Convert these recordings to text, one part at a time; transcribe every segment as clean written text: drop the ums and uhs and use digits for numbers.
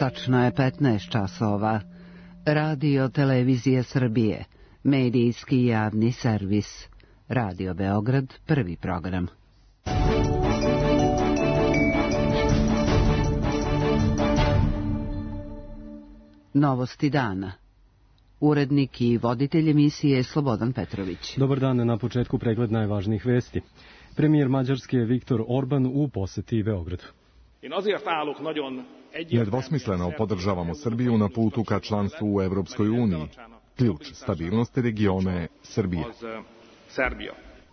Tačno je 15 časova. Radio Televizija Srbije, medijski javni servis. Radio Beograd, prvi program. Novosti dana. Urednik i voditelj emisije Slobodan Petrović. Dobar dan, na početku pregled najvažnijih vesti. Premijer Mađarske Viktor Orban u poseti Beogradu. Nedvosmisleno podržavamo Srbiju na putu ka članstvu u Evropskoj uniji. Ključ stabilnosti regiona je Srbija.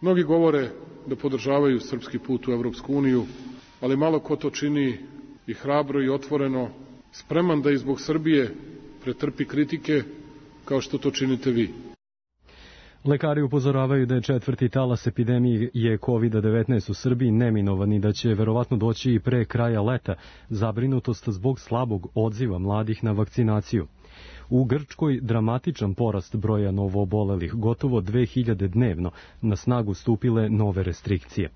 Mnogi govore da podržavaju srpski put u Evropsku uniju, ali malo ko to čini i hrabro i otvoreno, spreman da i zbog Srbije pretrpi kritike kao što to činite vi. Lekari upozoravaju da je četvrti talas epidemije COVID-19 u Srbiji neminovan i da će verovatno doći i pre kraja leta, zabrinutost zbog slabog odziva mladih na vakcinaciju. U Grčkoj dramatičan porast broja novoobolelih, gotovo 2000 dnevno, na snagu stupile nove restrikcije.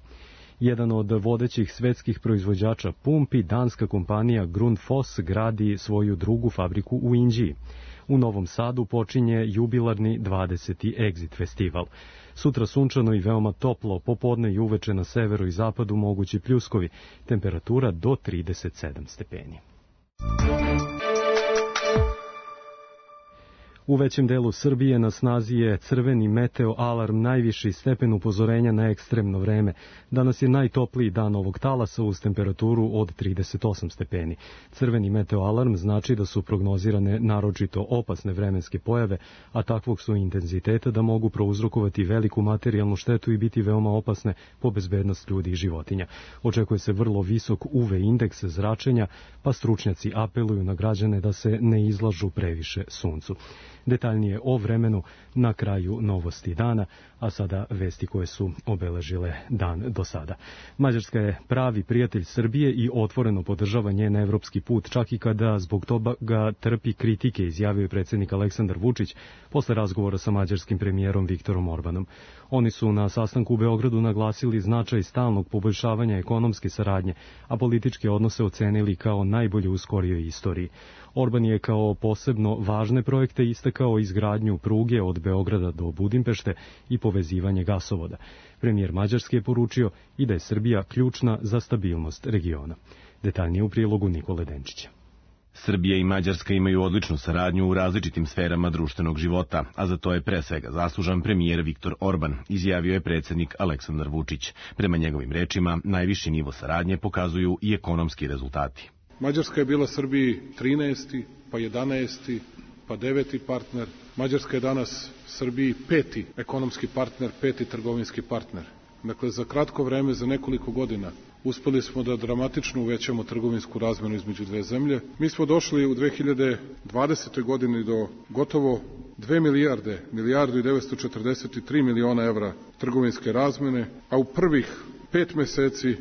Jedan od vodećih svetskih proizvođača pumpi, danska kompanija Grundfos, gradi svoju drugu fabriku u Inđiji. U Novom Sadu počinje jubilarni 20. Exit festival. Sutra sunčano i veoma toplo, popodne i uveče na severu i zapadu mogući pljuskovi, temperatura do 37 stepeni. U većem delu Srbije na snazi je crveni meteo alarm, najviši stepen upozorenja na ekstremno vreme. Danas je najtopliji dan ovog talasa uz temperaturu od 38 stepeni. Crveni meteo alarm znači da su prognozirane naročito opasne vremenske pojave, a takvog su intenziteta da mogu prouzrokovati veliku materijalnu štetu i biti veoma opasne po bezbednost ljudi i životinja. Očekuje se vrlo visok UV indeks zračenja, pa stručnjaci apeluju na građane da se ne izlažu previše suncu. Detaljnije o vremenu na kraju novosti dana, a sada vesti koje su obeležile dan do sada. Mađarska je pravi prijatelj Srbije i otvoreno podržava njen evropski put, čak i kada zbog toga trpi kritike, izjavio je predsjednik Aleksandar Vučić posle razgovora sa mađarskim premijerom Viktorom Orbanom. Oni su na sastanku u Beogradu naglasili značaj stalnog poboljšavanja ekonomske saradnje, a političke odnose ocenili kao najbolje u skorijoj istoriji. Orban je kao posebno važne projekte istakao izgradnju pruge od Beograda do Budimpešte i povezivanje gasovoda. Premijer Mađarske je poručio i da je Srbija ključna za stabilnost regiona. Detaljnije u prilogu Nikole Denčića. Srbija i Mađarska imaju odličnu saradnju u različitim sferama društvenog života, a za to je pre svega zaslužan premijer Viktor Orban, izjavio je predsjednik Aleksandar Vučić. Prema njegovim rečima, najviši nivo saradnje pokazuju i ekonomski rezultati. Mađarska je bila Srbiji 13., pa 11., pa 9. partner. Mađarska je danas Srbiji 5. ekonomski partner, 5. trgovinski partner. Dakle, za kratko vreme, za nekoliko godina, uspeli smo da dramatično uvećamo trgovinsku razmenu između dve zemlje. Mi smo došli u 2020. godini do gotovo 2 milijardu i 943 miliona evra trgovinske razmene, a u prvih 5 meseci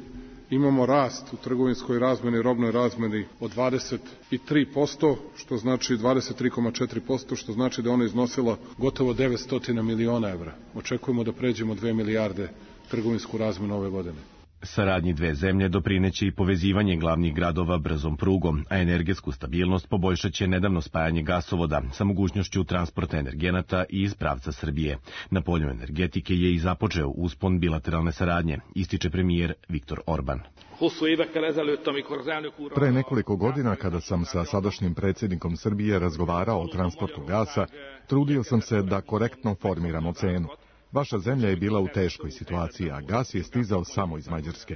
imamo rast u trgovinskoj razmeni, robnoj razmeni od 23%, što znači 23,4%, što znači da ona iznosila gotovo 900 miliona evra. Očekujemo da pređemo 2 milijarde trgovinsku razmenu ove godine. Saradnji dve zemlje doprineće i povezivanje glavnih gradova brzom prugom, a energetsku stabilnost poboljšaće nedavno spajanje gasovoda sa mogućnošću transporta energenata i iz pravca Srbije. Na polju energetike je i započeo uspon bilateralne saradnje, ističe premijer Viktor Orban. Pre nekoliko godina, kada sam sa sadašnjim predsjednikom Srbije razgovarao o transportu gasa, trudio sam se da korektno formiramo cenu. Vaša zemlja je bila u teškoj situaciji, a gas je stizao samo iz Mađarske.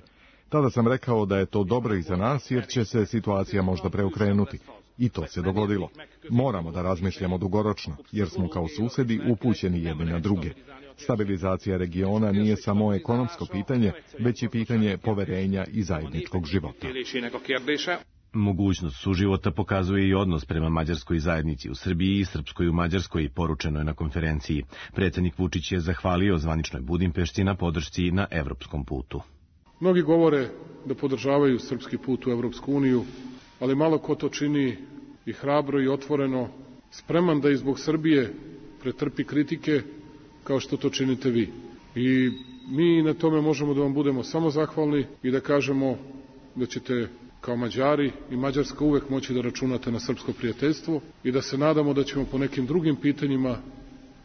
Tada sam rekao da je to dobro i za nas, jer će se situacija možda preokrenuti. I to se dogodilo. Moramo da razmišljamo dugoročno, jer smo kao susedi upućeni jedni na druge. Stabilizacija regiona nije samo ekonomsko pitanje, već i pitanje poverenja i zajedničkog života. Mogućnost suživota pokazuje i odnos prema mađarskoj zajednici u Srbiji i srpskoj u Mađarskoj, poručeno je na konferenciji. Predsjednik Vučić je zahvalio zvaničnoj Budimpešti na podršci na evropskom putu. Mnogi govore da podržavaju srpski put u Evropsku uniju, ali malo ko to čini i hrabro i otvoreno, spreman da i zbog Srbije pretrpi kritike kao što to činite vi. I mi na tome možemo da vam budemo samo zahvalni i da kažemo da ćete kao Mađari i Mađarska uvek moći da računate na srpsko prijateljstvo i da se nadamo da ćemo po nekim drugim pitanjima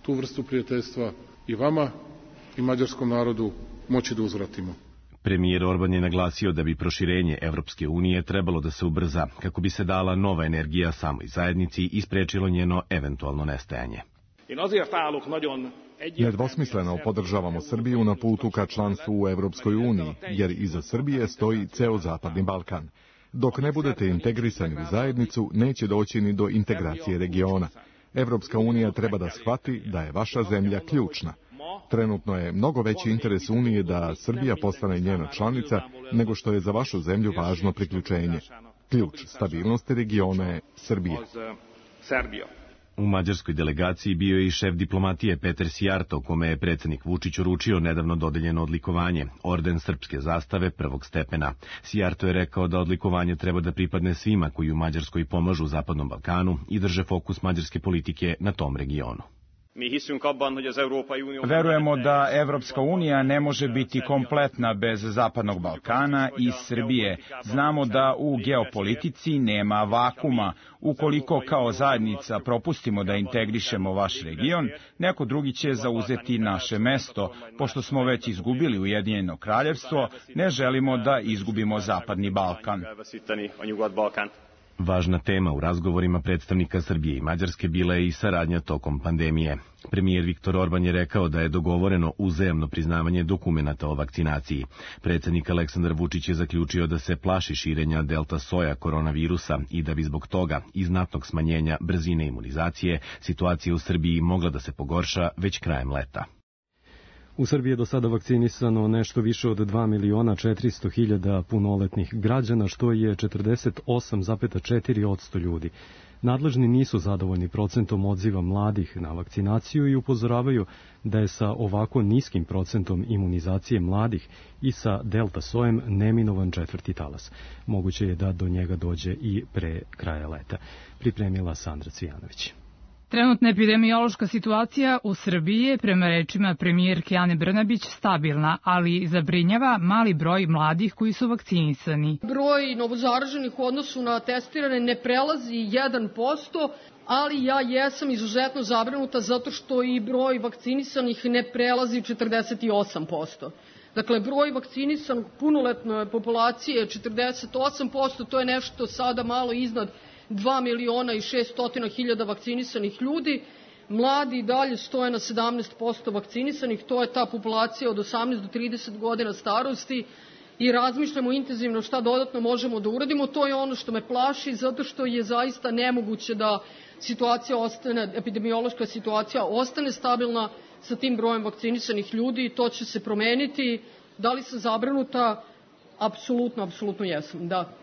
tu vrstu prijateljstva i vama i mađarskom narodu moći da uzvratimo. Premijer Orban je naglasio da bi proširenje Evropske unije trebalo da se ubrza kako bi se dala nova energija samoj zajednici i sprečilo njeno eventualno nestajanje. Nedvosmisleno podržavamo Srbiju na putu ka članstvu u Evropskoj uniji, jer iza Srbije stoji ceo Zapadni Balkan. Dok ne budete integrisani u zajednicu, neće doći ni do integracije regiona. Evropska unija treba da shvati da je vaša zemlja ključna. Trenutno je mnogo veći interes Unije da Srbija postane njena članica nego što je za vašu zemlju važno priključenje. Ključ stabilnosti regiona je Srbija. U mađarskoj delegaciji bio je i šef diplomatije Peter Sijarto, kome je predsjednik Vučić uručio nedavno dodeljeno odlikovanje, orden srpske zastave prvog stepena. Sijarto je rekao da odlikovanje treba da pripadne svima koji u Mađarskoj pomažu Zapadnom Balkanu i drže fokus mađarske politike na tom regionu. Verujemo da Evropska unija ne može biti kompletna bez Zapadnog Balkana i Srbije. Znamo da u geopolitici nema vakuma. Ukoliko kao zajednica propustimo da integrišemo vaš region, neko drugi će zauzeti naše mesto. Pošto smo već izgubili Ujedinjeno kraljevstvo, ne želimo da izgubimo Zapadni Balkan. Važna tema u razgovorima predstavnika Srbije i Mađarske bila je i saradnja tokom pandemije. Premijer Viktor Orban je rekao da je dogovoreno uzajamno priznavanje dokumenata o vakcinaciji. Predsjednik Aleksandar Vučić je zaključio da se plaši širenja delta soja koronavirusa i da bi zbog toga i znatnog smanjenja brzine imunizacije situacija u Srbiji mogla da se pogorša već krajem leta. U Srbiji je do sada vakcinisano nešto više od 2.400.000 punoletnih građana, što je 48,4% ljudi. Nadležni nisu zadovoljni procentom odziva mladih na vakcinaciju i upozoravaju da je sa ovako niskim procentom imunizacije mladih i sa delta sojem neminovan četvrti talas. Moguće je da do njega dođe i pre kraja leta. Pripremila Sandra Cvijanović. Trenutna epidemiološka situacija u Srbiji je, prema rečima premijerke Ane Brnabić, stabilna, ali zabrinjava mali broj mladih koji su vakcinisani. Broj novozaraženih u odnosu na testirane ne prelazi 1%, ali ja jesam izuzetno zabrinuta zato što i broj vakcinisanih ne prelazi 48%. Dakle, broj vakcinisanog punoletne populacije je 48%, to je nešto sada malo iznad 2.600.000 vakcinisanih ljudi. Mladi dalje stoje na 17% vakcinisanih, to je ta populacija od 18 do 30 godina starosti i razmišljamo intenzivno šta dodatno možemo da uradimo. To je ono što me plaši, zato što je zaista nemoguće da epidemiološka situacija ostane stabilna sa tim brojem vakcinisanih ljudi i to će se promeniti. Da li sam zabrinuta? Apsolutno jesam, da.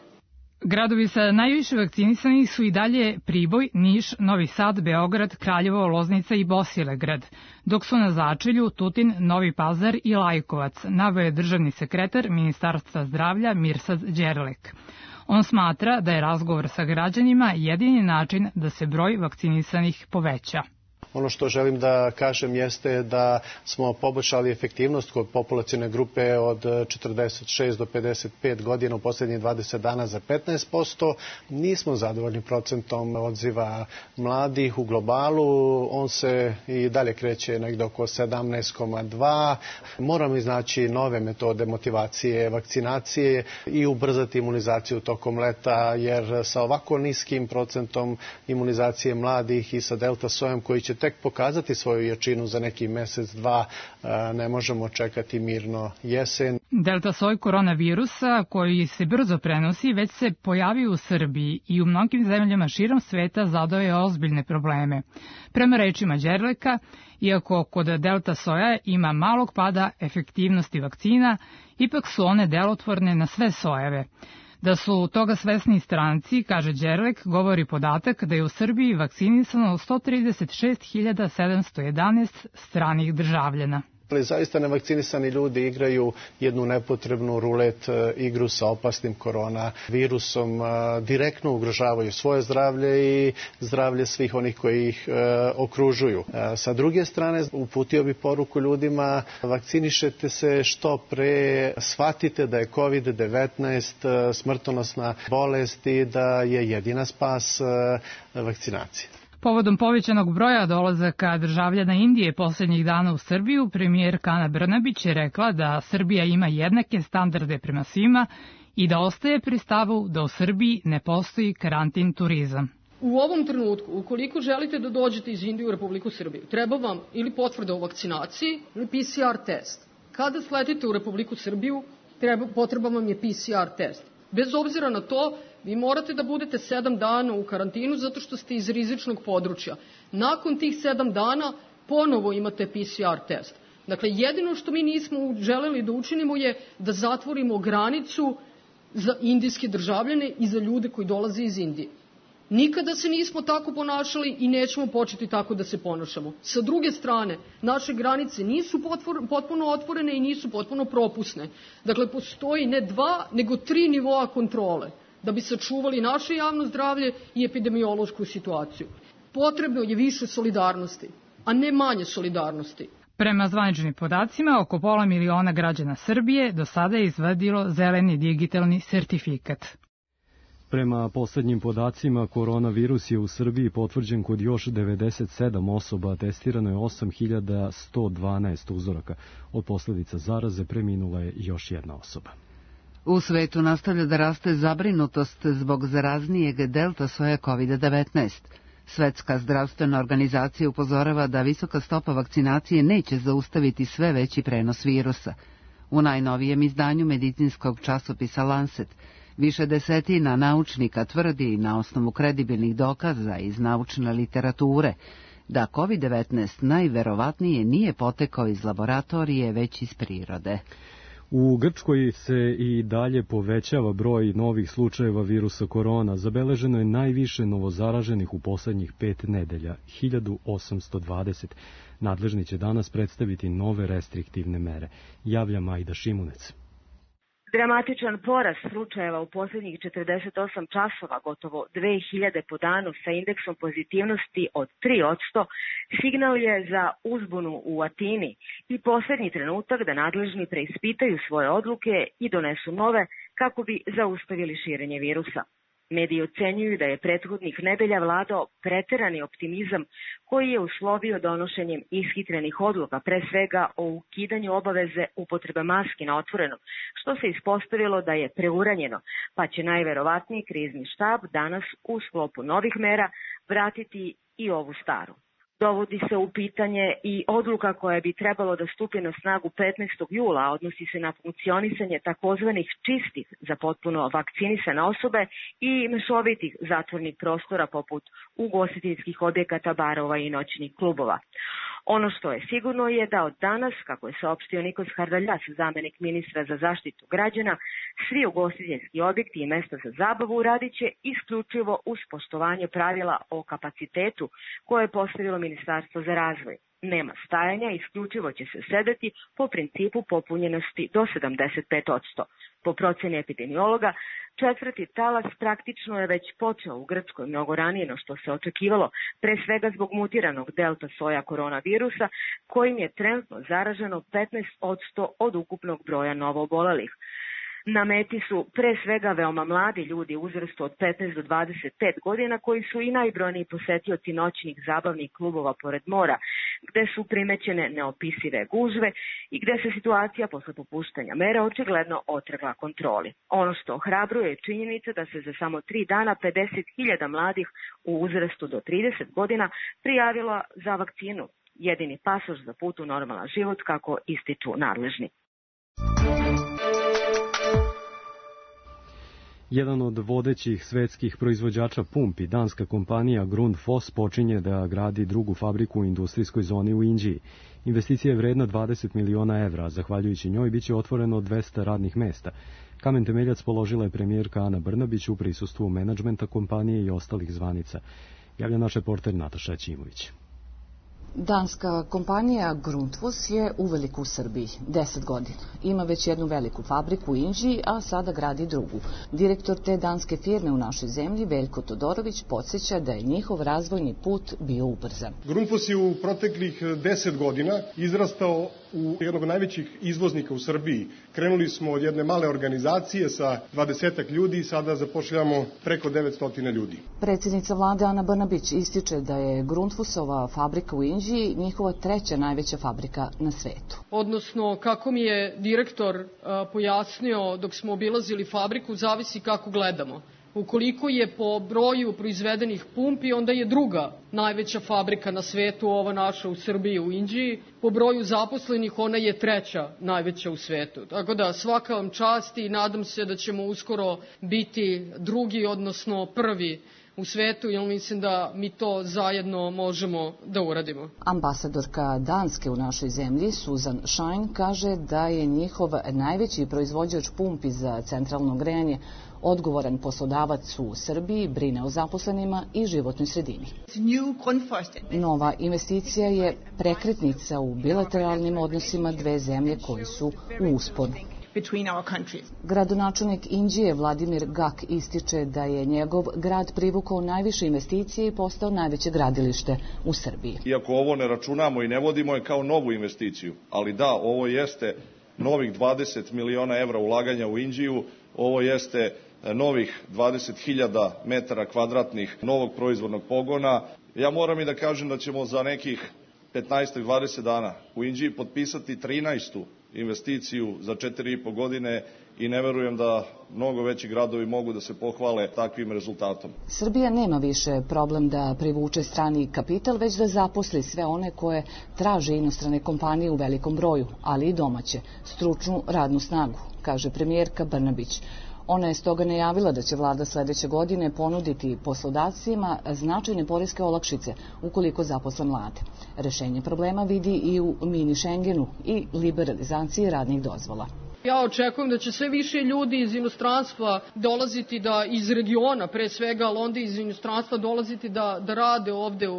Gradovi sa najviše vakcinisanih su i dalje Priboj, Niš, Novi Sad, Beograd, Kraljevo, Loznica i Bosilegrad, dok su na začelju Tutin, Novi Pazar i Lajkovac, naveo je državni sekretar Ministarstva zdravlja Mirsad Đerlek. On smatra da je razgovor sa građanima jedini način da se broj vakcinisanih poveća. Ono što želim da kažem jeste da smo poboljšali efektivnost kod populacione grupe od 46 do 55 godina u posljednjih 20 dana za 15%. Nismo zadovoljni procentom odziva mladih u globalu. On se i dalje kreće negde oko 17,2. Moramo iznaći nove metode motivacije, vakcinacije i ubrzati imunizaciju tokom leta, jer sa ovako niskim procentom imunizacije mladih i sa delta sojem koji će tek pokazati svoju jačinu za neki mesec, dva, ne možemo čekati mirno jesen. Delta soj koronavirusa, koji se brzo prenosi, već se pojavio u Srbiji i u mnogim zemljama širom sveta zadao je ozbiljne probleme. Prema rečima Đerleka, iako kod delta soja ima malog pada efektivnosti vakcina, ipak su one delotvorne na sve sojeve. Da su toga svesni stranci, kaže Đerlek, govori podatak da je u Srbiji vakcinisano 136.711 stranih državljana. Ali zaista nevakcinisani ljudi igraju jednu nepotrebnu rulet igru sa opasnim koronavirusom, direktno ugrožavaju svoje zdravlje i zdravlje svih onih koji ih okružuju. Sa druge strane, uputio bi poruku ljudima, vakcinišete se što pre, shvatite da je COVID-19 smrtonosna bolest i da je jedina spas vakcinacija. Povodom povećanog broja dolazaka državljana Indije posljednjih dana u Srbiju, premijerka Ana Brnabić je rekla da Srbija ima jednake standarde prema svima i da ostaje pri stavu da u Srbiji ne postoji karantin turizam. U ovom trenutku, ukoliko želite da dođete iz Indije u Republiku Srbiju, treba vam ili potvrda o vakcinaciji ili PCR test. Kada sletite u Republiku Srbiju, potreban vam je PCR test. Bez obzira na to, vi morate da budete 7 dana u karantinu zato što ste iz rizičnog područja. Nakon tih 7 dana ponovo imate PCR test. Dakle, jedino što mi nismo želeli da učinimo je da zatvorimo granicu za indijske državljane i za ljude koji dolaze iz Indije. Nikada se nismo tako ponašali i nećemo početi tako da se ponašamo. Sa druge strane, naše granice nisu potpuno otvorene i nisu potpuno propusne. Dakle, postoji ne 2, nego 3 nivoa kontrole da bi sačuvali naše javno zdravlje i epidemiološku situaciju. Potrebno je više solidarnosti, a ne manje solidarnosti. Prema zvaničnim podacima, oko 500 miliona građana Srbije do sada je izvadilo zeleni digitalni sertifikat. Prema poslednjim podacima, koronavirus je u Srbiji potvrđen kod još 97 osoba, testirano je 8112 uzoraka. Od posledica zaraze preminula je još jedna osoba. U svetu nastavlja da raste zabrinutost zbog zaraznijeg delta soja COVID-19. Svetska zdravstvena organizacija upozorava da visoka stopa vakcinacije neće zaustaviti sve veći prenos virusa. U najnovijem izdanju medicinskog časopisa Lancet više desetina naučnika tvrdi na osnovu kredibilnih dokaza iz naučne literature da COVID-19 najverovatnije nije potekao iz laboratorije, već iz prirode. U Grčkoj se i dalje povećava broj novih slučajeva virusa korona. Zabeleženo je najviše novozaraženih u poslednjih 5 nedelja, 1820. Nadležni će danas predstaviti nove restriktivne mere, javlja Majda Šimunec. Dramatičan porast slučajeva u posljednjih 48 časova, gotovo 2000 po danu sa indeksom pozitivnosti od 3%, signal je za uzbunu u Atini i posljednji trenutak da nadležni preispitaju svoje odluke i donesu nove kako bi zaustavili širenje virusa. Mediji ocenjuju da je prethodnih nedelja vladao preterani optimizam koji je uslovio donošenjem ishitrenih odluka, pre svega o ukidanju obaveze upotrebe maski na otvorenom, što se ispostavilo da je preuranjeno, pa će najverovatniji krizni štab danas u sklopu novih mera vratiti i ovu staru. Dovodi se u pitanje i odluka koja bi trebalo da stupi na snagu 15. jula, a odnosi se na funkcionisanje takozvanih čistih za potpuno vakcinisane osobe i mešovitih zatvornih prostora poput ugostiteljskih objekata, barova i noćnih klubova. Ono što je sigurno je da od danas, kako je saopštio Nikos Hardaljas, zamenik ministra za zaštitu građana, svi ugostiteljski objekti i mesta za zabavu radit će isključivo uz poštovanje pravila o kapacitetu koje je postavilo Ministarstvo za razvoj. Nema stajanja, isključivo će se sedeti po principu popunjenosti do 75%. Po proceni epidemiologa, 4. talas praktično je već počeo u Grčkoj mnogo ranije no što se očekivalo, pre svega zbog mutiranog delta soja koronavirusa, kojim je trenutno zaraženo 15% od ukupnog broja novoobolelih. Na meti su pre svega veoma mladi ljudi u uzrastu od 15 do 25 godina koji su i najbrojniji posetioci noćnih zabavnih klubova pored mora, gde su primećene neopisive gužve i gde se situacija posle popuštanja mera očigledno otrgla kontroli. Ono što ohrabruje je činjenica da se za samo 3 dana 50.000 mladih u uzrastu do 30 godina prijavilo za vakcinu, jedini pasoš za put u normalan život, kako ističu nadležni. Jedan od vodećih svetskih proizvođača pumpi, danska kompanija Grundfos, počinje da gradi drugu fabriku u industrijskoj zoni u Inđiji. Investicija je vredna 20 miliona evra, zahvaljujući njoj biće otvoreno 200 radnih mesta. Kamen temeljac položila je premijerka Ana Brnabić u prisustvu menadžmenta kompanije i ostalih zvanica, javlja naš reporter Nataša Ćimović. Danska kompanija Grundfos je uveliko u Srbiji, 10 godina. Ima već jednu veliku fabriku u Inđiji, a sada gradi drugu. Direktor te danske firme u našoj zemlji, Veljko Todorović, podsjeća da je njihov razvojni put bio ubrzan. Grundfos je u proteklih 10 godina izrastao u jednog najvećih izvoznika u Srbiji. Krenuli smo od jedne male organizacije sa 20 ljudi i sada zapošljavamo preko 900 ljudi. Predsjednica vlade Ana Brnabić ističe da je Grundfosova fabrika u Inđiji njihova treća najveća fabrika na svetu. Odnosno, kako mi je direktor pojasnio dok smo obilazili fabriku, zavisi kako gledamo. Ukoliko je po broju proizvedenih pumpi, onda je druga najveća fabrika na svetu, ova naša u Srbiji, u Inđiji. Po broju zaposlenih ona je treća najveća u svetu. Tako da svaka vam čast i nadam se da ćemo uskoro biti drugi, odnosno prvi u svetu, jer mislim da mi to zajedno možemo da uradimo. Ambasadorka Danske u našoj zemlji, Susan Shine, kaže da je njihov najveći proizvođač pumpi za centralno grejanje odgovoran poslodavac u Srbiji, brine o zaposlenima i životnoj sredini. Nova investicija je prekretnica u bilateralnim odnosima dve zemlje koji su u usponu. Gradonačelnik Inđije Vladimir Gak ističe da je njegov grad privukao najviše investicije i postao najveće gradilište u Srbiji. Iako ovo ne računamo i ne vodimo je kao novu investiciju, ali da, ovo jeste novih 20 miliona evra ulaganja u Inđiju, ovo jeste novih 20.000 metara kvadratnih novog proizvodnog pogona. Ja moram i da kažem da ćemo za nekih 15-20 dana u Inđiji potpisati 13. investiciju za 4,5 godine i ne verujem da mnogo veći gradovi mogu da se pohvale takvim rezultatom. Srbija nema više problem da privuče strani kapital, već da zaposli sve one koje traže inostrane kompanije u velikom broju, ali i domaće, stručnu radnu snagu, kaže premijerka Brnabić. Ona je stoga najavila da će vlada sledeće godine ponuditi poslodavcima značajne poreske olakšice ukoliko zaposle mlade. Rešenje problema vidi i u mini Schengenu i liberalizaciji radnih dozvola. Ja očekujem da će sve više ljudi iz inostranstva dolaziti iz regiona, pre svega, ali onda iz inostranstva dolaziti da rade ovde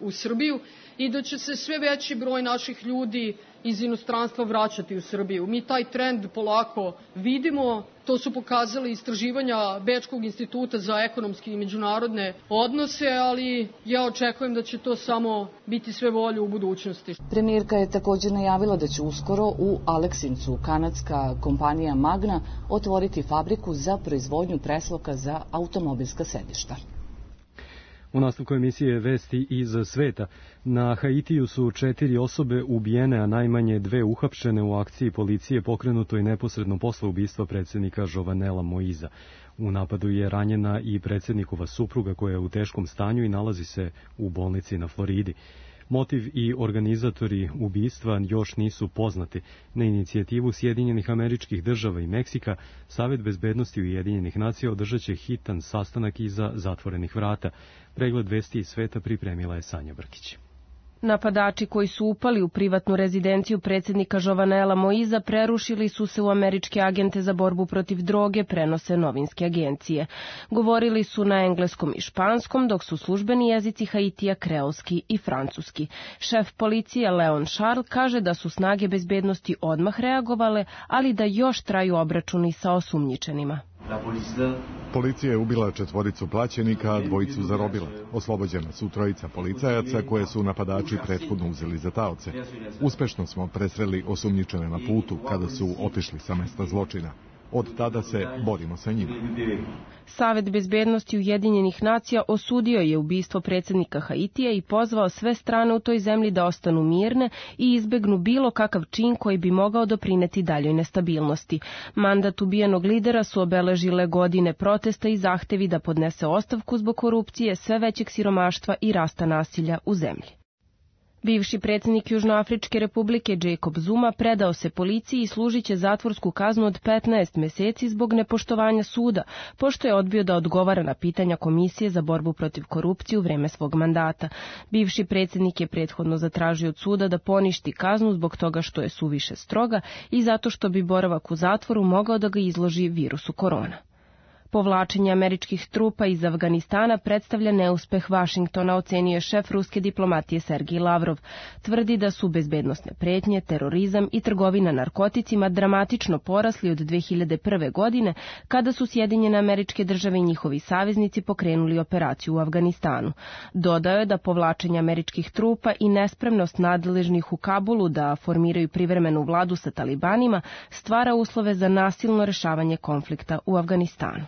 u Srbiju i da će se sve veći broj naših ljudi iz inostranstva vraćati u Srbiju. Mi taj trend polako vidimo, to su pokazali istraživanja Bečkog instituta za ekonomske i međunarodne odnose, ali ja očekujem da će to samo biti sve bolje u budućnosti. Premijerka je također najavila da će uskoro u Aleksincu kanadska kompanija Magna otvoriti fabriku za proizvodnju presloka za automobilska sedišta. U nastavku emisije Vesti iz sveta. Na Haitiju su 4 osobe ubijene, a najmanje 2 uhapšene u akciji policije pokrenutoj neposredno posle ubistva predsjednika Jovenela Moiza. U napadu je ranjena i predsjednikova supruga koja je u teškom stanju i nalazi se u bolnici na Floridi. Motiv i organizatori ubistva još nisu poznati. Na inicijativu Sjedinjenih Američkih Država i Meksika, Savet bezbednosti Ujedinjenih nacija održat će hitan sastanak iza zatvorenih vrata. Pregled vesti iz sveta pripremila je Sanja Brkić. Napadači koji su upali u privatnu rezidenciju predsjednika Jovenela Moiza prerušili su se u američke agente za borbu protiv droge, prenose novinske agencije. Govorili su na engleskom i španskom, dok su službeni jezici Haitija kreolski i francuski. Šef policije Leon Charles kaže da su snage bezbednosti odmah reagovale, ali da još traju obračuni sa osumnjičenima. Policija je ubila 4 plaćenika, a 2 zarobila. Oslobođena su 3 policajaca koje su napadači prethodno uzeli za taoce. Uspešno smo presreli osumnjičene na putu kada su otišli sa mesta zločina. Od tada se borimo sa njima. Savet bezbednosti Ujedinjenih nacija osudio je ubistvo predsjednika Haitija i pozvao sve strane u toj zemlji da ostanu mirne i izbegnu bilo kakav čin koji bi mogao doprineti daljoj nestabilnosti. Mandat ubijenog lidera su obeležile godine protesta i zahtevi da podnese ostavku zbog korupcije, sve većeg siromaštva i rasta nasilja u zemlji. Bivši predsjednik Južnoafričke republike Jacob Zuma predao se policiji i služit će zatvorsku kaznu od 15 meseci zbog nepoštovanja suda, pošto je odbio da odgovara na pitanja Komisije za borbu protiv korupcije u vreme svog mandata. Bivši predsjednik je prethodno zatražio od suda da poništi kaznu zbog toga što je suviše stroga i zato što bi boravak u zatvoru mogao da ga izloži virusu korona. Povlačenje američkih trupa iz Afganistana predstavlja neuspeh Vašingtona, ocenio je šef ruske diplomatije Sergij Lavrov. Tvrdi da su bezbednosne pretnje, terorizam i trgovina narkoticima dramatično porasli od 2001. godine, kada su Sjedinjene Američke Države i njihovi saveznici pokrenuli operaciju u Afganistanu. Dodao je da povlačenje američkih trupa i nespremnost nadležnih u Kabulu da formiraju privremenu vladu sa talibanima stvara uslove za nasilno rešavanje konflikta u Afganistanu.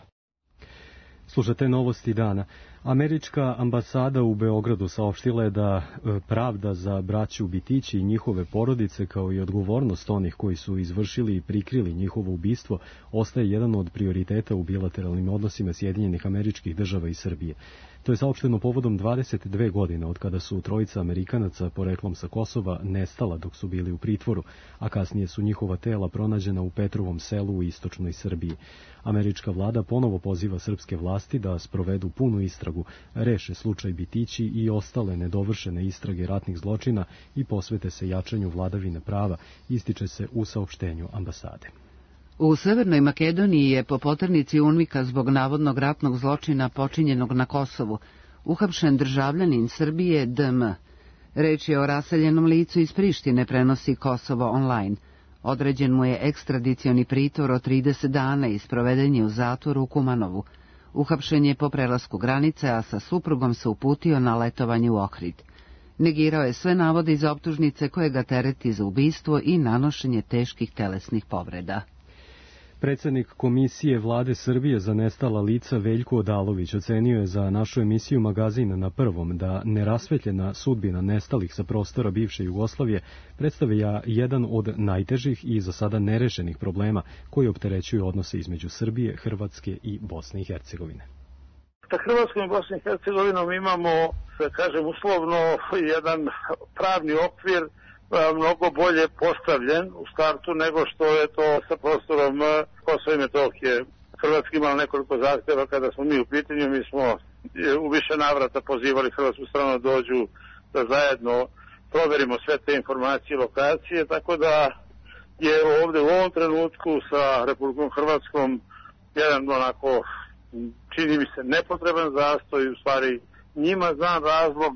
Slušate novosti dana. Američka ambasada u Beogradu saopštila je da pravda za braću Bitići i njihove porodice, kao i odgovornost onih koji su izvršili i prikrili njihovo ubistvo, ostaje jedan od prioriteta u bilateralnim odnosima Sjedinjenih Američkih Država i Srbije. To je saopšteno povodom 22 godine od kada su trojica Amerikanaca poreklom sa Kosova nestala dok su bili u pritvoru, a kasnije su njihova tela pronađena u Petrovom selu u istočnoj Srbiji. Američka vlada ponovo poziva srpske vlasti da sprovedu punu istragu, reše slučaj Bitići i ostale nedovršene istrage ratnih zločina i posvete se jačanju vladavine prava, ističe se u saopštenju ambasade. U Severnoj Makedoniji je po poternici UNMIK-a zbog navodnog ratnog zločina počinjenog na Kosovu uhapšen državljanin Srbije DM. Reč je o raseljenom licu iz Prištine, prenosi Kosovo online. Određen mu je ekstradicioni pritvor od 30 dana i sproveden je u zatvoru u Kumanovu. Uhapšen je po prelasku granice, a sa suprugom se uputio na letovanje u Ohrid. Negirao je sve navode iz optužnice koje ga tereti za ubistvo i nanošenje teških telesnih povreda. Predsjednik Komisije Vlade Srbije za nestala lica Veljko Odalović ocenio je za našu emisiju Magazin na prvom da nerasvetljena sudbina nestalih sa prostora bivše Jugoslavije predstavlja jedan od najtežih i za sada nerešenih problema koji opterećuju odnose između Srbije, Hrvatske i Bosne i Hercegovine. Sa Hrvatskom i Bosnom i Hercegovinom imamo, da kažem, uslovno jedan pravni okvir mnogo bolje postavljen u startu nego što je to sa prostorom Kosova i Metohije. Hrvatska imala nekoliko zahtjeva kada smo mi u pitanju, mi smo u više navrata pozivali hrvatsku stranu da dođu da zajedno proverimo sve te informacije i lokacije, tako da je ovdje u ovom trenutku sa Republikom Hrvatskom jedan onako, čini mi se, nepotreban zastoj, u stvari njima znam razlog.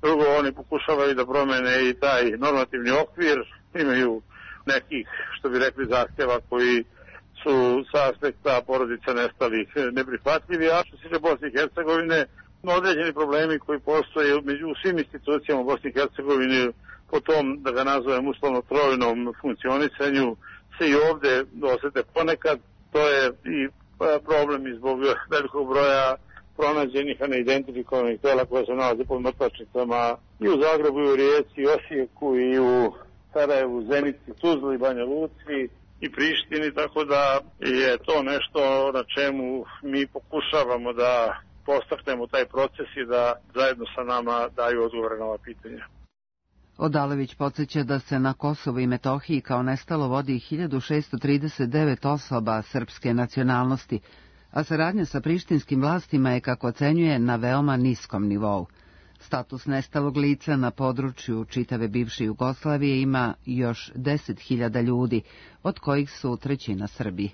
Drugo, oni pokušavaju da promene i taj normativni okvir, imaju nekih, što bi rekli, zahtjeva koji su sa aspekta porodica nestalih neprihvatljivi, a što se tiče Bosne i Hercegovine, određeni problemi koji postoje u svim institucijama u Bosni i Hercegovini po tom, da ga nazovem uslovno trojnom funkcionisanju, se i ovdje osete ponekad. To je i problem i zbog velikog broja pronađenih, a neidentifikovanih tela koja se nalaze pod mrtvačnicama i u Zagrebu, i u Rijeci, i Osijeku, i u Sarajevu, Zenici, Tuzli, Banja Luci i Prištini, tako da je to nešto na čemu mi pokušavamo da podstaknemo taj proces i da zajedno sa nama daju odgovore na ova pitanja. Odalović podsjeća da se na Kosovu i Metohiji kao nestalo vodi 1639 osoba srpske nacionalnosti, a saradnja sa prištinskim vlastima je, kako ocenjuje, na veoma niskom nivou. Status nestalog lica na području čitave bivše Jugoslavije ima još 10.000 ljudi, od kojih su trećina Srbi.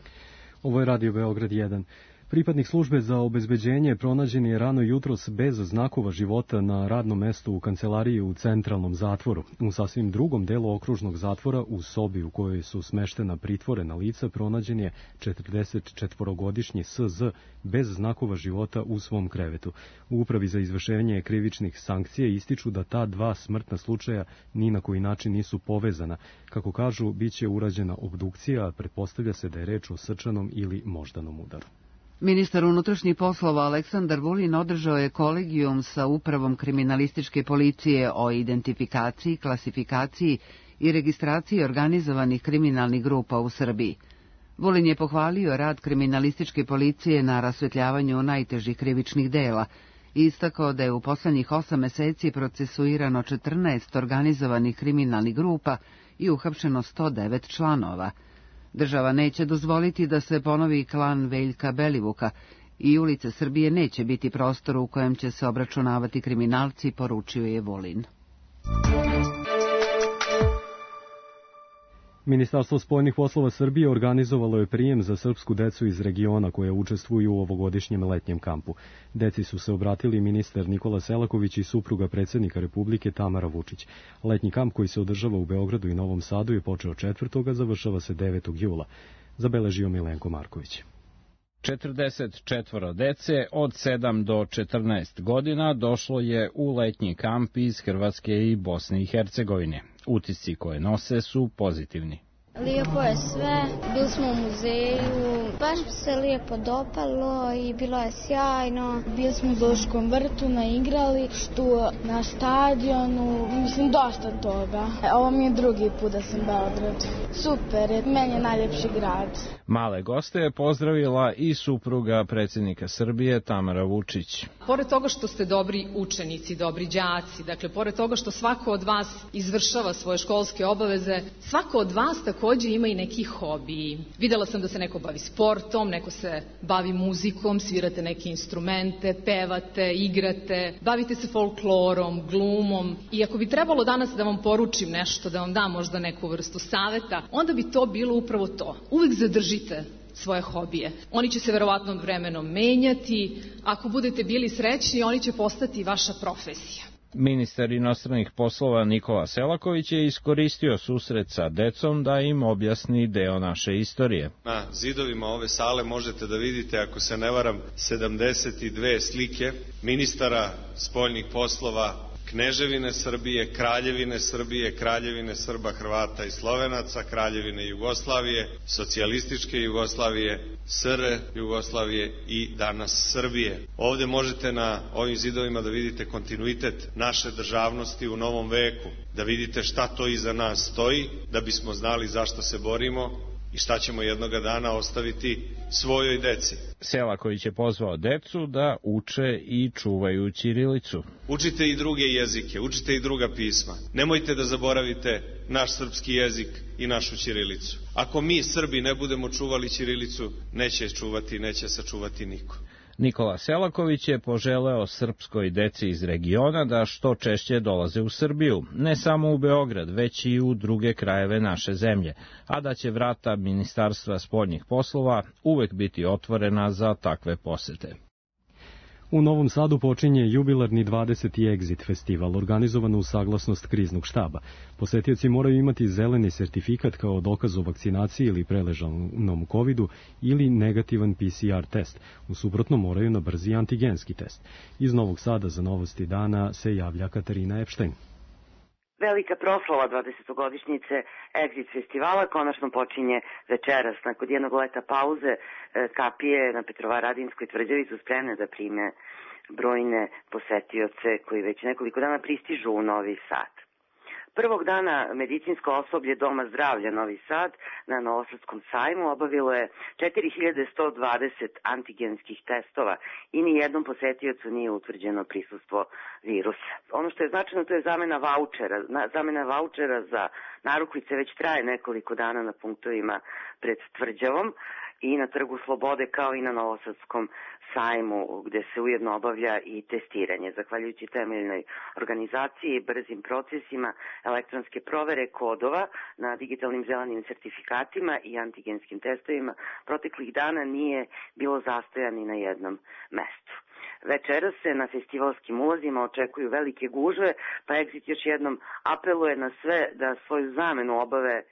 Ovo je Radio Beograd 1. Pripadnik službe za obezbeđenje pronađen je rano jutros bez znakova života na radnom mestu u kancelariji u centralnom zatvoru. U sasvim drugom delu okružnog zatvora, u sobi u kojoj su smeštena pritvorena lica, pronađen je 44-godišnji SZ bez znakova života u svom krevetu. U Upravi za izvršenje krivičnih sankcija ističu da ta dva smrtna slučaja ni na koji način nisu povezana. Kako kažu, biće urađena obdukcija, a pretpostavlja se da je reč o srčanom ili moždanom udaru. Ministar unutrašnjih poslova Aleksandar Vulin održao je kolegijum sa Upravom kriminalističke policije o identifikaciji, klasifikaciji i registraciji organizovanih kriminalnih grupa u Srbiji. Vulin je pohvalio rad kriminalističke policije na rasvetljavanju najtežih krivičnih dela i istakao da je u poslednjih 8 meseci procesuirano 14 organizovanih kriminalnih grupa i uhapšeno 109 članova. Država neće dozvoliti da se ponovi klan Veljka Belivuka i ulice Srbije neće biti prostor u kojem će se obračunavati kriminalci, poručio je Vulin. Ministarstvo spoljnih poslova Srbije organizovalo je prijem za srpsku decu iz regiona koje učestvuju u ovogodišnjem letnjem kampu. Deci su se obratili ministar Nikola Selaković i supruga predsjednika Republike Tamara Vučić. Letnji kamp koji se održava u Beogradu i Novom Sadu je počeo 4. a završava se 9. jula. Zabeležio Milenko Marković. 44 dece od 7 do 14 godina došlo je u letnji kamp iz Hrvatske i Bosne i Hercegovine. Utisci koje nose su pozitivni. Lijepo je sve, bili smo u muzeju, baš se lijepo dopalo i bilo je sjajno. Bili smo u Zoološkom vrtu na igralištu, na stadionu, mislim dosta toga. Ovo mi je drugi put da sam Beograd. Super, meni je najljepši grad. Male goste je pozdravila i supruga predsjednika Srbije Tamara Vučić. Pored toga što ste dobri učenici, dobri đaci, dakle pored toga što svako od vas izvršava svoje školske obaveze, svako od vas takođe ima i neki hobiji. Videla sam da se neko bavi sportom, neko se bavi muzikom, svirate neke instrumente, pevate, igrate, bavite se folklorom, glumom. I ako bi trebalo danas da vam poručim nešto, da vam dam možda neku vrstu saveta, onda bi to bilo upravo to. Uvek zadržite svoje hobije. Oni će se verovatno vremenom menjati. Ako budete bili srećni, oni će postati vaša profesija. Ministar inostranih poslova Nikola Selaković je iskoristio susret sa decom da im objasni deo naše istorije. Na zidovima ove sale možete da vidite, ako se ne varam, 72 slike ministara spoljnih poslova Kneževine Srbije, Kraljevine Srba, Hrvata i Slovenaca, Kraljevine Jugoslavije, socijalističke Jugoslavije, SR Jugoslavije i danas Srbije. Ovde možete na ovim zidovima da vidite kontinuitet naše državnosti u novom veku, da vidite šta to iza nas stoji, da bismo znali zašto se borimo i šta ćemo jednoga dana ostaviti svojoj deci. Selaković je pozvao decu da uče i čuvaju ćirilicu. Učite i druge jezike, učite i druga pisma. Nemojte da zaboravite naš srpski jezik i našu ćirilicu. Ako mi Srbi ne budemo čuvali ćirilicu, neće sačuvati niko. Nikola Selaković je poželeo srpskoj deci iz regiona da što češće dolaze u Srbiju, ne samo u Beograd, već i u druge krajeve naše zemlje, a da će vrata Ministarstva spoljnih poslova uvek biti otvorena za takve posete. U Novom Sadu počinje jubilarni 20. Exit festival, organizovan uz saglasnost kriznog štaba. Posetioci moraju imati zeleni sertifikat kao dokaz o vakcinaciji ili preležanom covidu ili negativan PCR test. U suprotnom moraju na brzi antigenski test. Iz Novog Sada za Novosti dana se javlja Katarina Epštajn. Velika proslava 20-godišnjice Exit festivala konačno počinje večeras. Nakon jednog leta pauze kapije na Petrovaradinskoj tvrđavi su spremne da prime brojne posetioce koji već nekoliko dana pristižu u Novi Sad. Prvog dana medicinsko osoblje Doma zdravlja Novi Sad na Novosadskom sajmu obavilo je 4120 antigenskih testova i ni jednom posetiocu nije utvrđeno prisustvo virusa. Ono što je značajno, to je zamena vaučera za narukvice već traje nekoliko dana na punktovima pred tvrđavom i na Trgu Slobode kao i na Novosadskom sajmu gde se ujedno obavlja i testiranje. Zahvaljujući temeljnoj organizaciji i brzim procesima elektronske provere kodova na digitalnim zelenim sertifikatima i antigenskim testovima proteklih dana nije bilo zastoja ni na jednom mestu. Večeras se na festivalskim ulazima očekuju velike gužve, pa Exit još jednom apeluje na sve da svoju zamenu obave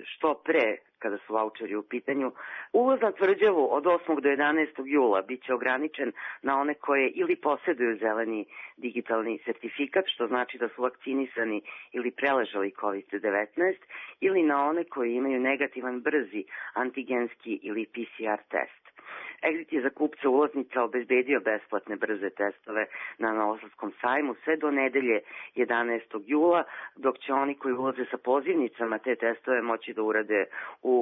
što pre kada su vaučeri u pitanju. Ulaz na tvrđavu od 8. do 11. jula biće ograničen na one koje ili posjeduju zeleni digitalni sertifikat, što znači da su vakcinisani ili preležali COVID-19, ili na one koji imaju negativan brzi antigenski ili PCR test. Exit je za kupce ulaznica obezbedio besplatne brze testove na Novosadskom sajmu sve do nedelje 11. jula, dok će oni koji ulaze sa pozivnicama te testove moći da urade u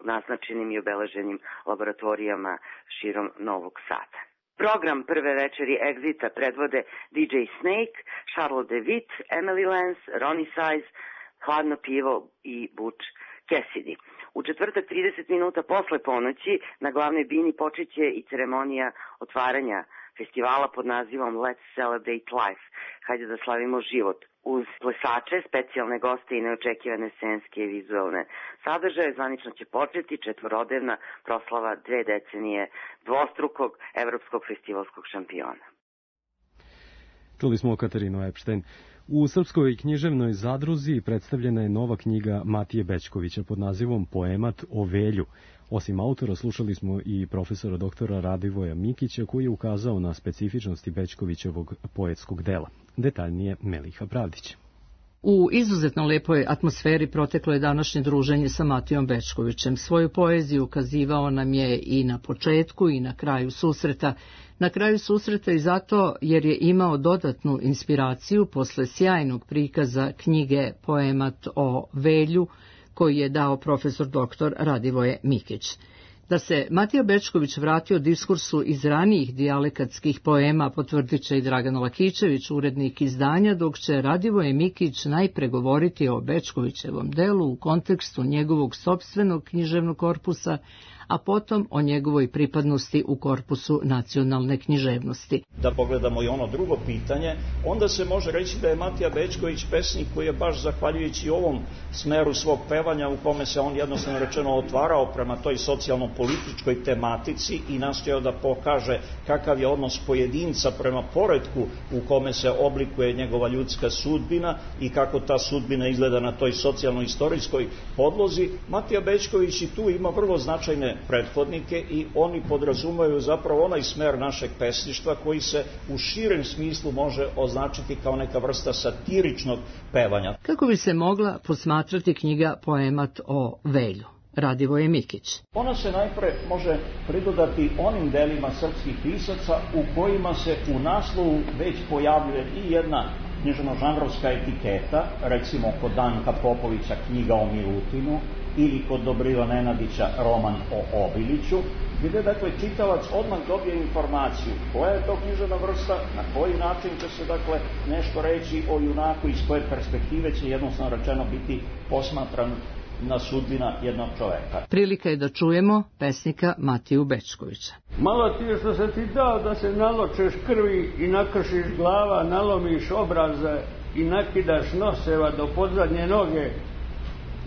naznačenim i obeleženim laboratorijama širom Novog Sada. Program prve večeri Exita predvode DJ Snake, Charlotte DeWitt, Emily Lance, Ronnie Size, Hladno pivo i Butch Cassidy. U četvrtak 30 minuta posle ponoći na glavnoj bini počeće i ceremonija otvaranja festivala pod nazivom Let's Celebrate Life. Hajde da slavimo život. Uz plesače, specijalne goste i neočekivane scenske i vizualne sadržaje zvanično će početi četvorodnevna proslava 2 decenije dvostrukog evropskog festivalskog šampiona. Čuli smo Katarinu Epštajn. U Srpskoj književnoj zadruzi predstavljena je nova knjiga Matije Bećkovića pod nazivom Poemat o Velju. Osim autora, slušali smo i profesora doktora Radivoja Mikića, koji je ukazao na specifičnosti Bećkovićevog poetskog dela. Detaljnije Meliha Pravdić. U izuzetno lepoj atmosferi proteklo je današnje druženje sa Matijom Bećkovićem. Svoju poeziju ukazivao nam je i na početku i na kraju susreta. Na kraju susreta i zato jer je imao dodatnu inspiraciju posle sjajnog prikaza knjige Poemat o Velju, koji je dao profesor doktor Radivoje Mikić. Da se Matija Bećković vratio diskursu iz ranijih dijalekatskih poema potvrdit će i Dragan Lakićević, urednik izdanja, dok će Radivoje Mikić najpre govoriti o Bećkovićevom delu u kontekstu njegovog sopstvenog književnog korpusa, a potom o njegovoj pripadnosti u korpusu nacionalne književnosti. Da pogledamo i ono drugo pitanje, onda se može reći da je Matija Bećković pesnik koji je baš zahvaljujući ovom smeru svog pevanja u kome se on jednostavno rečeno otvarao prema toj socijalno-političkoj tematici i nastojao da pokaže kakav je odnos pojedinca prema poretku u kome se oblikuje njegova ljudska sudbina i kako ta sudbina izgleda na toj socijalno-istorijskoj podlozi. Matija Bećković i tu ima vrlo značajne prethodnike i oni podrazumaju zapravo onaj smer našeg pesništva koji se u širem smislu može označiti kao neka vrsta satiričnog pevanja. Kako bi se mogla posmatrati knjiga Poemat o Velju? Radivoje Mikić. Ona se najpre može pridodati onim delima srpskih pisaca u kojima se u naslovu već pojavljuje i jedna književno-žanrovska etiketa, recimo kod Danka Popovića knjiga o Milutinu ili kod Dobrila Nenadića roman o Obiliću, gde dakle čitalac odmah dobije informaciju koja je to književna vrsta, na koji način će se dakle nešto reći o junaku, iz koje perspektive će jednostavno rečeno biti posmatran na sudbina jednog čoveka. Prilika je da čujemo pesnika Matiju Bećkovića. Malo ti je što se ti dao da se naločeš krvi i nakršiš glava, nalomiš obraze i nakidaš noseva do podzadnje noge,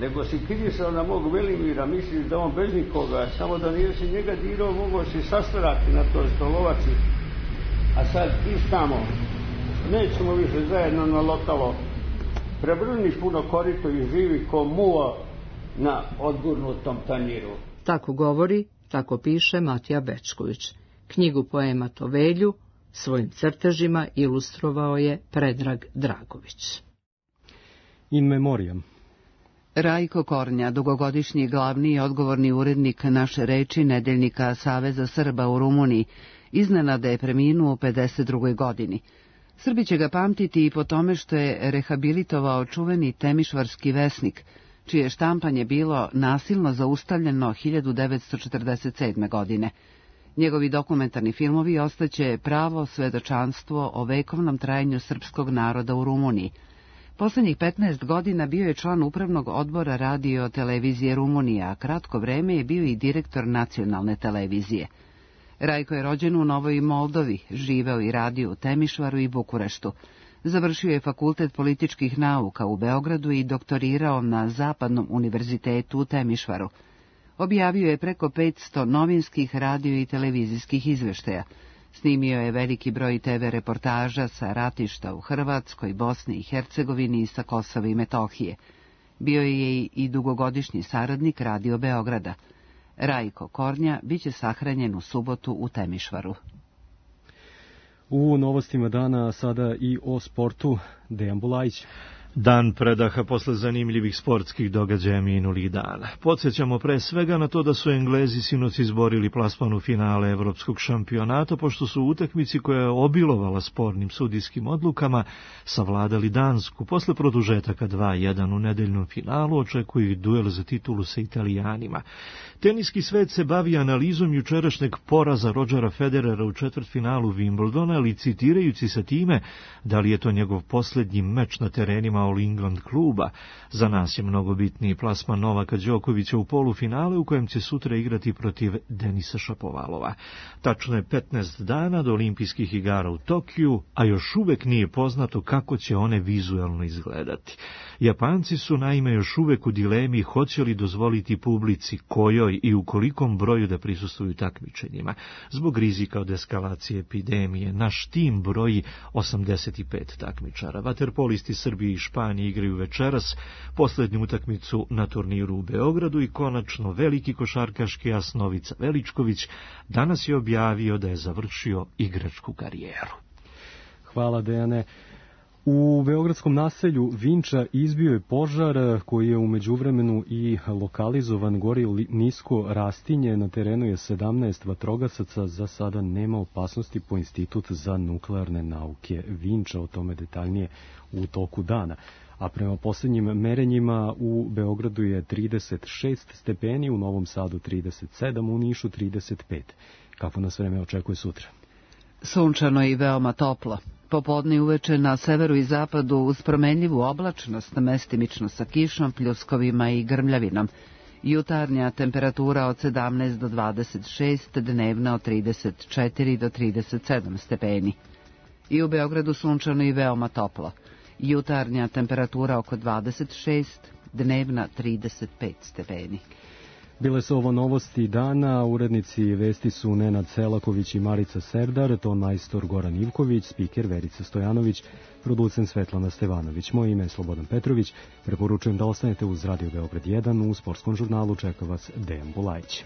nego si kirisao na mog Velimira, misliš da on bez nikoga, samo da nije si njega dirao, mogao si sastarati na toj stolovaci, a sad istamo, nećemo više zajedno na lokalo, prebrniš puno korito i živi ko muva na odgurnutom tanjiru. Tako govori, tako piše Matija Bećković. Knjigu Poemat o Velju svojim crtežima ilustrovao je Predrag Dragović. In memoriam. Rajko Kornja, dugogodišnji glavni i odgovorni urednik Naše reči nedeljnika Saveza Srba u Rumuniji, iznenada je preminuo u 52. godini. Srbi će ga pamtiti i po tome što je rehabilitovao čuveni temišvarski vesnik, čije štampanje bilo nasilno zaustavljeno 1947. godine. Njegovi dokumentarni filmovi ostaće pravo svedočanstvo o vekovnom trajanju srpskog naroda u Rumuniji. Poslednjih 15 godina bio je član upravnog odbora radio televizije Rumunije, a kratko vreme je bio i direktor nacionalne televizije. Rajko je rođen u Novoj Moldovi, živeo i radio u Temišvaru i Bukureštu. Završio je fakultet političkih nauka u Beogradu i doktorirao na Zapadnom univerzitetu u Temišvaru. Objavio je preko 500 novinskih, radio i televizijskih izveštaja. Snimio je veliki broj TV reportaža sa ratišta u Hrvatskoj, Bosni i Hercegovini i sa Kosova i Metohije. Bio je i dugogodišnji saradnik Radio Beograda. Rajko Kornja biće sahranjen u subotu u Temišvaru. U novostima dana sada i o sportu. Dejan Bulajić. Dan predaha posle zanimljivih sportskih događaja minulih dana. Podsjećamo pre svega na to da su Englezi sinoć izborili plasman u finale evropskog šampionata, pošto su u utakmici koja je obilovala spornim sudijskim odlukama savladali Dansku. Posle produžetaka 2-1 u nedeljnom finalu očekuju ih duel za titulu sa Italijanima. Teniski svet se bavi analizom jučerašnjeg poraza Rodgera Federera u četvrtfinalu Wimbledona, licitirajući sa time da li je to njegov poslednji meč na terenima All England kluba. Za nas je mnogo bitniji plasman Novaka Đokovića u polufinale u kojem će sutra igrati protiv Denisa Šapovalova. Tačno je 15 dana do olimpijskih igara u Tokiju, a još uvek nije poznato kako će one vizuelno izgledati. Japanci su naime još uvek u dilemi hoće li dozvoliti publici kojoj i u kolikom broju da prisustvuju takmičenjima. Zbog rizika od eskalacije epidemije, naš tim broji 85 takmičara. Vaterpolisti Srbije i Španije igraju večeras poslednju utakmicu na turniru u Beogradu i konačno veliki košarkaški as Novica Veličković danas je objavio da je završio igračku karijeru. Hvala, Dejane. U beogradskom naselju Vinča izbio je požar koji je u međuvremenu i lokalizovan, gori nisko rastinje, na terenu je 17 vatrogasaca, za sada nema opasnosti po Institut za nuklearne nauke Vinča, o tome detaljnije u toku dana. A prema poslednjim merenjima u Beogradu je 36 stepeni, u Novom Sadu 37, u Nišu 35. Kako nas vreme očekuje sutra? Sunčano i veoma toplo. Popodne i uveče na severu i zapadu uz promenljivu oblačnost, mestimično sa kišom, pljuskovima i grmljavinom. Jutarnja temperatura od 17 do 26, dnevna od 34 do 37 stepeni. I u Beogradu sunčano i veoma toplo. Jutarnja temperatura oko 26, dnevna 35 stepeni. Bile su ovo novosti dana, urednici vesti su Nenad Selaković i Marica Serdar, ton majstor Goran Ivković, spiker Verica Stojanović, producent Svetlana Stevanović. Moje ime je Slobodan Petrović, preporučujem da ostanete uz Radio Beograd 1, u sportskom žurnalu čeka vas Dejan Bulajić.